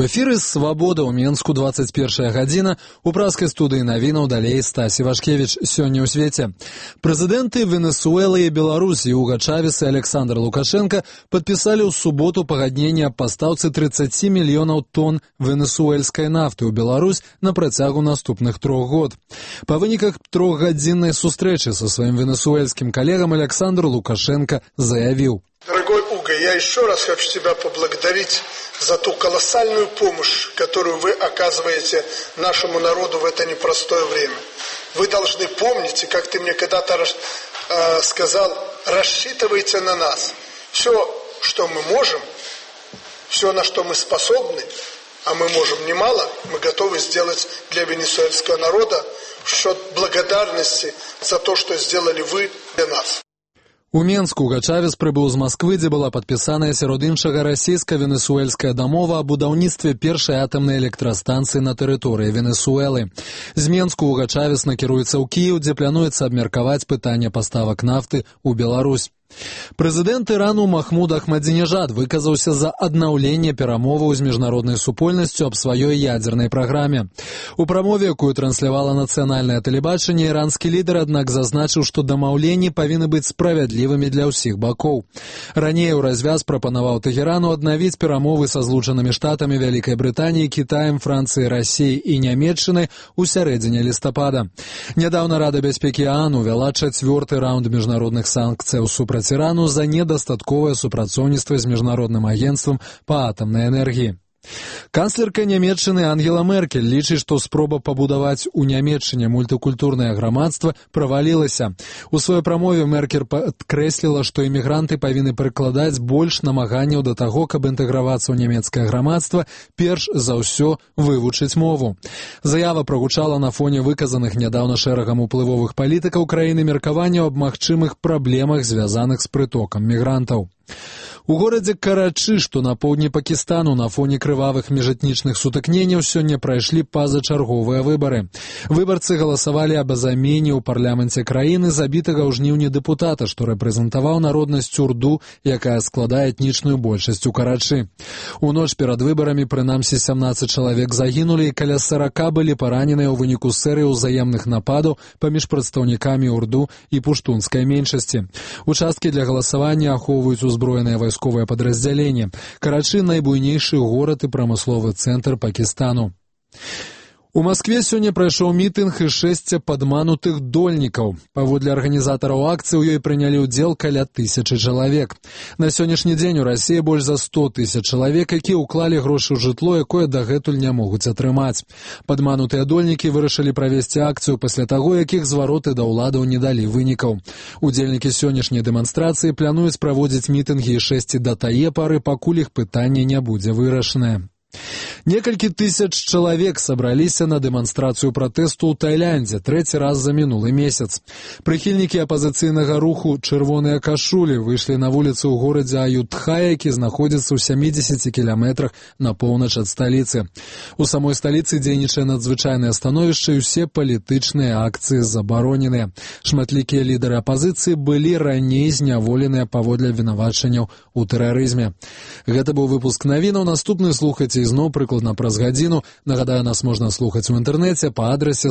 У эфіры «Свабода» ў Менску 21 гадзіна. У праскай студыі навінаў далей Стась Івашкевіч. Сёння ў свеце. Прэзідэнты Венесуэлы і Беларусі Уга Чавес і Александр Лукашенко падпісалі ў суботу пагадненне аб пастаўцы 30 мільёнаў тонн венесуэльскай нафты ў Беларусь на працягу наступных 3 год. Па выніках трохгадзіннай сустрэчы са сваім венесуэльскім калегам Александр Лукашенко заявіў: Дорогой Уго, я еще раз хочу тебя поблагодарить за ту колоссальную помощь, которую вы оказываете нашему народу в это непростое время. Вы должны помнить, и как ты мне когда-то сказал, рассчитывайте на нас. Все, что мы можем, все, на что мы способны, а мы можем немало, мы готовы сделать для венесуэльского народа в счет благодарности за то, что сделали вы для нас. У Менску Уга Чавес прыбыў з Масквы, дзе была падпісаная сярод іншага расійска-венесуэльская дамова аб будаўніцтве першай атамнай электрастанцыі на тэрыторыі Венесуэлы. З Менску Уга Чавес накіруецца ў Кіеў, дзе плануецца абмеркаваць пытанне паставак нафты ў Беларусь. Прэзідэнт Ірану Махмуд Ахмадзінежад выказаўся за аднаўленне перамоваў з міжнароднай супольнасцю аб сваёй ядзернай праграме. У прамове, якую транслявала нацыянальнае тэлебачанне, іранскі лідар, аднак, зазначыў, што дамаўленні павінны быць справядлівымі для ўсіх бакоў. Раней у развяз прапанаваў Тэхерану аднавіць перамовы са Злучанымі Штатамі, Вялікай Брытаніяй, Кітаем, Францыяй, Расіяй і Нямецчынай у сярэдзіне лістапада. Нядаўна Рада бяспекі ААН увяла 4-ы раунд міжнародных санкцыяў супраць Ірану за недастатковае супрацоўніцтва з міжнародным агенцтвам па атамнай энергіі. Канцлерка Нямецчыны Ангела Меркель лічыць, што спроба пабудаваць у Нямецчыне мультыкультурнае грамадства правалілася. У сваёй прамове Меркель падкрэсліла, што імігранты павінны прыкладаць больш намаганняў да таго, каб інтэгравацца ў нямецкае грамадства, перш за ўсё вывучыць мову. Заява прагучала на фоне выказаных нядаўна шэрагам уплывовых палітыкаў краіны меркаванняў аб магчымых праблемах, звязаных з прытокам мігрантаў. У горадзе Карачы, што на поўдні Пакістану, на фоне крывавых міжэтнічных сутыкненняў сёння прайшлі пазачарговыя выбары. Выбарцы галасавалі аб замене ў парламенце краіны забітага ў жніўні дэпутата, што рэпрэзентаваў народнасць урду, якая складае этнічную большасць у Карачы. У ноч перад выбарамі прынамсі 17 чалавек загінулі і каля 40 былі параненыя ў выніку серыі ўзаемных нападаў паміж прадстаўнікамі урду і пуштунскай меншасці. Участкі для галасавання ахоўваюць узброеныя вайсковае падраздзяленне. Карачы — найбуйнейшы горад і прамысловы цэнтр Пакістану. У Маскве сёння прайшоў мітынг і 6 падманутых дольнікаў. Паводле арганізатараў акцыі ў ёй прынялі ўдзел каля 1000 чалавек. На сённяшні дзень у Расіі больш за 100 000 чалавек, якія ўклалі грошы ў жытло, якое дагэтуль не могуць атрымаць. Падманутыя дольнікі вырашылі правесці акцыю пасля таго, якіх звароты да ўладаў не далі вынікаў. Удзельнікі сённяшняй дэманстрацыі плануюць праводзіць мітынгі і 6 да тае пары, пакуль іх пытанне не будзе вырашанае. Некалькі тысяч чалавек сабраліся на дэманстрацыю пратэсту ў Тайландзе 3-й раз за мінулы месяц. Прыхільнікі апазіцыйнага руху «Чырвоныя кашулі» выйшлі на вуліцы ў горадзе Аютхая, які знаходзіцца ў 70 кіламетрах на поўнач ад сталіцы. У самой сталіцы дзейнічае надзвычайнае становішча і ўсе палітычныя акцыі забароненыя. Шматлікія лідары апазіцыі былі раней зняволеныя паводле абвінавачанняў у тэрарызме. Гэта быў выпуск навінаў. Наступны слухайце ізноў прыкладна праз гадзіну. Нагадаю, нас можна слухаць у інтэрнэце па адрасе